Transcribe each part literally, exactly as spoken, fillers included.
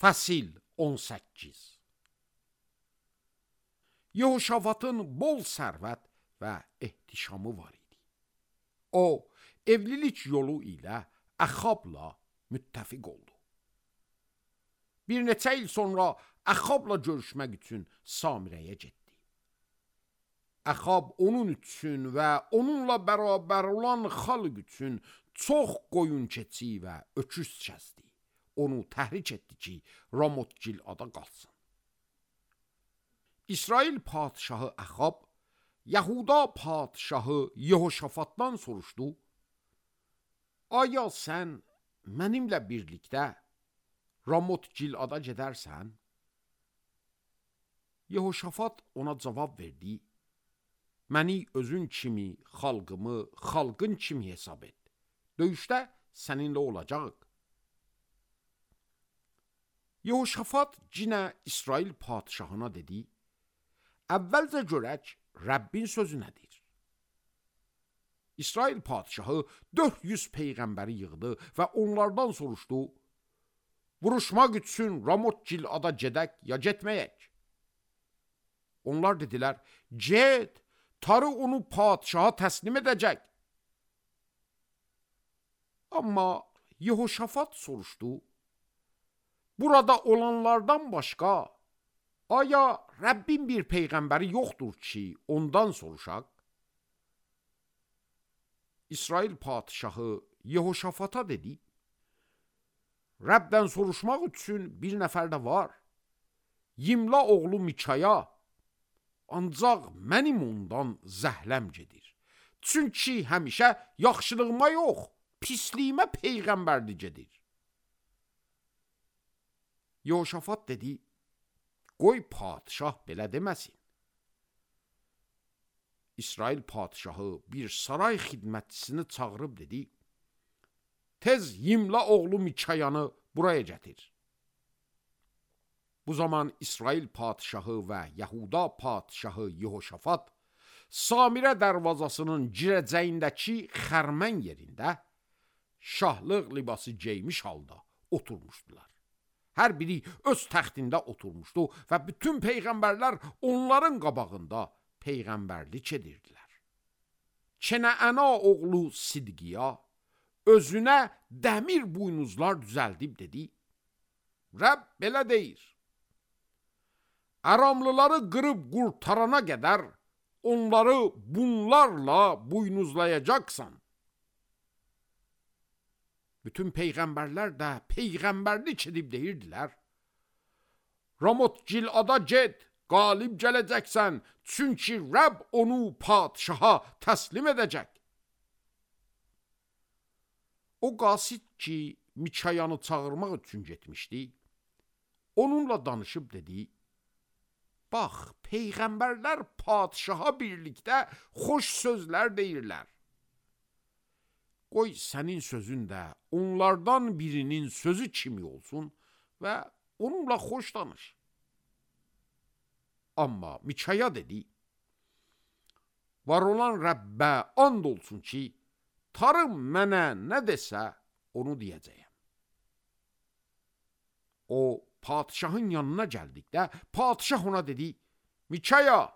Fəsil on səkkiz. Yehoşafatın bol sərvət və ehtişamı var idi. O, evlilik yolu ilə Əxabla müttəfiq oldu. Bir neçə il sonra Əxabla görüşmək üçün Samirəyə getdi. Əxab onun üçün və onunla bərabər olan xalq üçün çox qoyun keçi və öküz kəsdi. Onu təhrik etdi ki, Ramot-Gilada qalsın. İsrail padişahı Əxab, Yahuda padişahı Yehoşafatdan soruşdu: Aya sən mənimlə birlikdə Ramot-Gilada gedərsən? Yehoşafat ona cavab verdi: Məni özün kimi, xalqımı, xalqın kimi hesab et. Döyüşdə səninlə olacaq. Yehoşafat cinə İsrail padişahına dedi: Əvvəlcə görək, Rəbbin sözü nədir? İsrail padişahı dörd yüz peyğəmbəri yığdı və onlardan soruşdu: Vuruşmaq üçün Ramot-Gilada gedək ya getməyək? Onlar dedilər: Get, tarı onu padişaha təslim edəcək. Amma Yehoşafat soruşdu: Burada olanlardan başqa, aya Rəbbin bir peyğəmbəri yoxdur ki, ondan soruşaq? İsrail padişahı Yehoşafata dedi: Rəbdən soruşmaq üçün bir nəfər də var. Yimla oğlu Mikaya, ancaq mənim ondan zəhləm gedir. Çünki həmişə yaxşılığıma yox, pisliyimə peyğəmbərli gedir. Yehoşafat dedi: Qoy padişah belə deməsin. İsrail padişahı bir saray xidmətçisini çağırıb dedi: Tez Yimla oğlu Mikayanı buraya gətir. Bu zaman İsrail padişahı və Yahuda padişahı Yehoşafat Samirə dərvazasının girəcəyindəki xərmən yerində şahlıq libası geymiş halda oturmuşdular. Hər biri öz təxtində oturmuşdu və bütün peyğəmbərlər onların qabağında peyğəmbərlik edirdilər. Kenəana oğlu Sidqiya özünə dəmir buynuzlar düzəldib dedi: Rəbb belə deyir: Aramlıları qırıb qurtarana qədər onları bunlarla buynuzlayacaqsan. Bütün peyğəmbərlər də peyğəmbərlik edib deyirdilər: Ramot-Gilada get, qalib gələcəksən, çünki Rəbb onu padişaha təslim edəcək. O qasid ki, Mikayanı çağırmaq üçün getmişdi, onunla danışıb dedi: Bax, peyğəmbərlər padişaha birlikdə xoş sözlər deyirlər. Qoy sənin sözün də onlardan birinin sözü kimi olsun və onunla xoş danış. Amma Mikaya dedi: Var olan Rəbbə and olsun ki, tarım mənə nə desə onu deyəcəyəm. O, padişahın yanına gəldikdə, padişah ona dedi: Mikaya,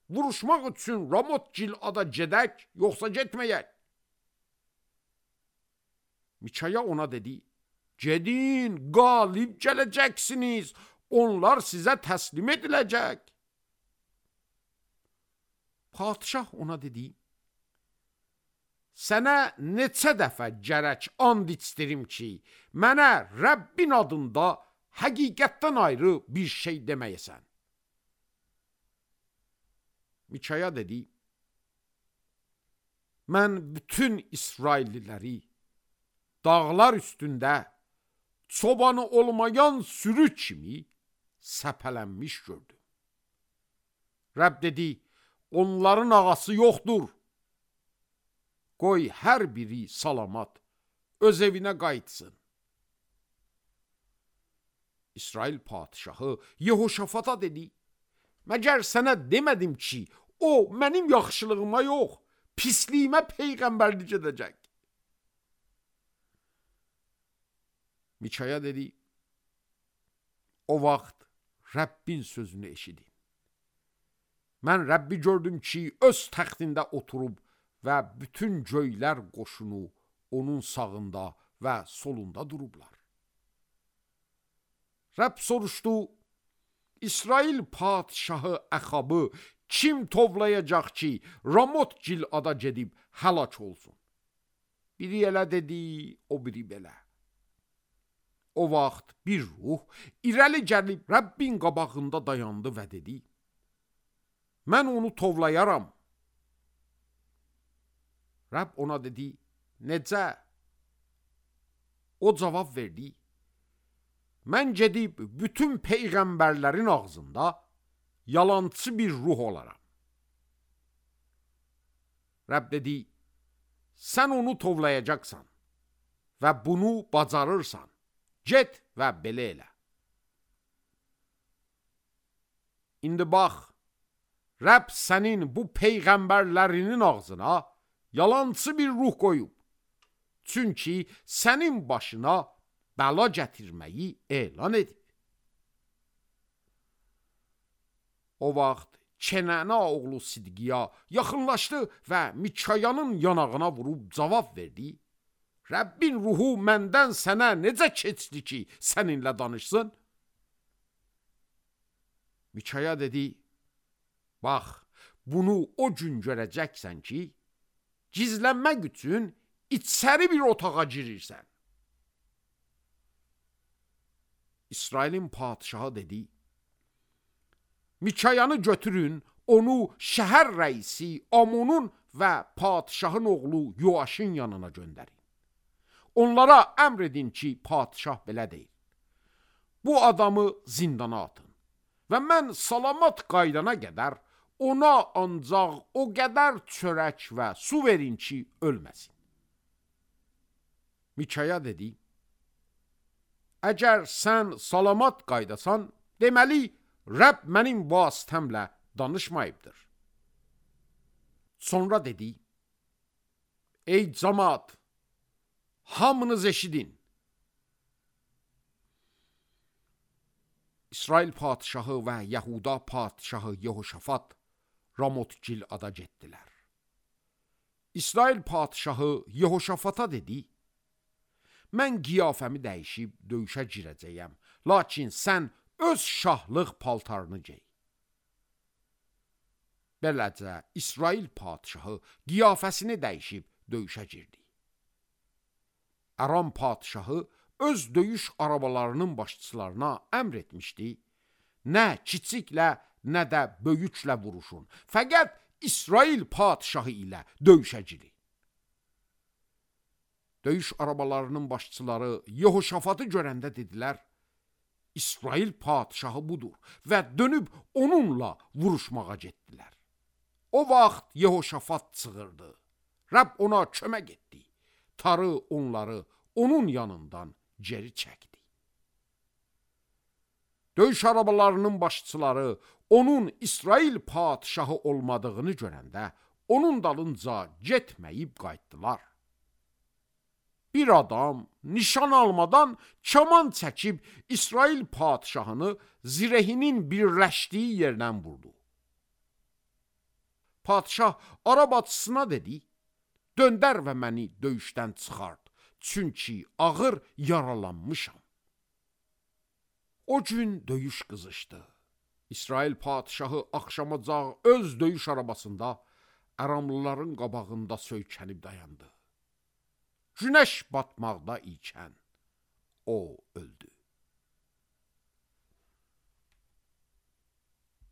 vuruşmaq üçün Ramot-Gilada gedək, yoxsa getməyək? Mikaya ona dedi: Gedin, qalib gələcəksiniz, onlar sizə təslim ediləcək. Padişah ona dedi: Sənə neçə dəfə gərək and içdirim ki, mənə Rəbbin adında həqiqətdən ayrı bir şey deməyəsən. Mikaya dedi: Mən bütün İsrailliləri dağlar üstündə çobanı olmayan sürü kimi səpələnmiş gördüm. Rəbb dedi: Onların ağası yoxdur. Qoy hər biri salamat öz evinə qayıtsın. İsrail padişahı Yehoşafata dedi: Məgər sənə demədim ki, o mənim yaxşılığıma yox, pisliyimə peyğəmbərlik edəcək. Mikaya dedi: O vaxt Rəbbin sözünü eşidin. Mən Rəbbi gördüm ki, öz təxtində oturub və bütün göylər qoşunu onun sağında və solunda durublar. Rəbb soruşdu, İsrail padişahı Əxabı kim tovlayacaq ki, Ramot Gilada gedib həlak olsun? Biri elə dedi, o biri belə. O vaxt bir ruh irəli gəlib Rəbbin qabağında dayandı və dedi, mən onu tovlayaram. Rəbb ona dedi, necə? O cavab verdi, mən gedib bütün peyğəmbərlərin ağzında yalancı bir ruh olaram. Rəbb dedi, sən onu tovlayacaqsan və bunu bacarırsan. Get və belə elə. İndi bax, Rəbb sənin bu peyğəmbərlərinin ağzına yalancı bir ruh qoyub. Çünki sənin başına bəla gətirməyi elan edib. O vaxt Kenana oğlu Sidqiya yaxınlaşdı və Mikayanın yanağına vurub cavab verdi. Rəbbin ruhu məndən sənə necə keçdi ki, səninlə danışsın? Mikaya dedi, bax, bunu o gün görəcəksən ki, gizlənmək üçün içəri bir otağa girirsən. İsrailin padişahı dedi, Mikayanı götürün, onu şəhər rəisi Amonun və padişahın oğlu Yoaşın yanına göndərin. Onlara əmr edin ki, padişah belə deyil. Bu adamı zindana atın və mən salamat qaydana qədər ona ancaq o qədər çörək və su verin ki, ölməsin. Mikaya dedi, əgər sən salamat qaydasan, deməli, Rəbb mənim vasitəmlə danışmayıbdır. Sonra dedi, ey cəmaat, hamınız eşidin. İsrail padişahı və Yahuda padişahı Yehoşafat Ramot Gilada getdilər. İsrail padişahı Yehoşafata dedi, mən qiyafəmi dəyişib döyüşə girəcəyəm, lakin sən öz şahlıq paltarını gey. Beləcə, İsrail padişahı qiyafəsini dəyişib döyüşə girdi. Aram padişahı öz döyüş arabalarının başçılarına əmr etmişdi, nə kiçiklə, nə də böyüklə vuruşun, fəqət İsrail padişahı ilə döyüşə girin. Döyüş arabalarının başçıları Yehoşafatı görəndə dedilər, İsrail padişahı budur və dönüb onunla vuruşmağa getdilər. O vaxt Yehoşafat çığırdı. Rəbb ona kömək etdi. Tarı onları onun yanından geri çəkdi. Döyüş arabalarının başçıları onun İsrail padişahı olmadığını görəndə onun dalınca getməyib qayıtdılar. Bir adam nişan almadan kaman çəkib İsrail padişahını zirehinin birləşdiyi yerdən vurdu. Padişah arabatçısına dedi, döndər və məni döyüşdən çıxart, çünki ağır yaralanmışam. O gün döyüş qızışdı. İsrail padişahı axşamacaq öz döyüş arabasında Aramlıların qabağında söykənib dayandı. Günəş batmaqda ikən o öldü.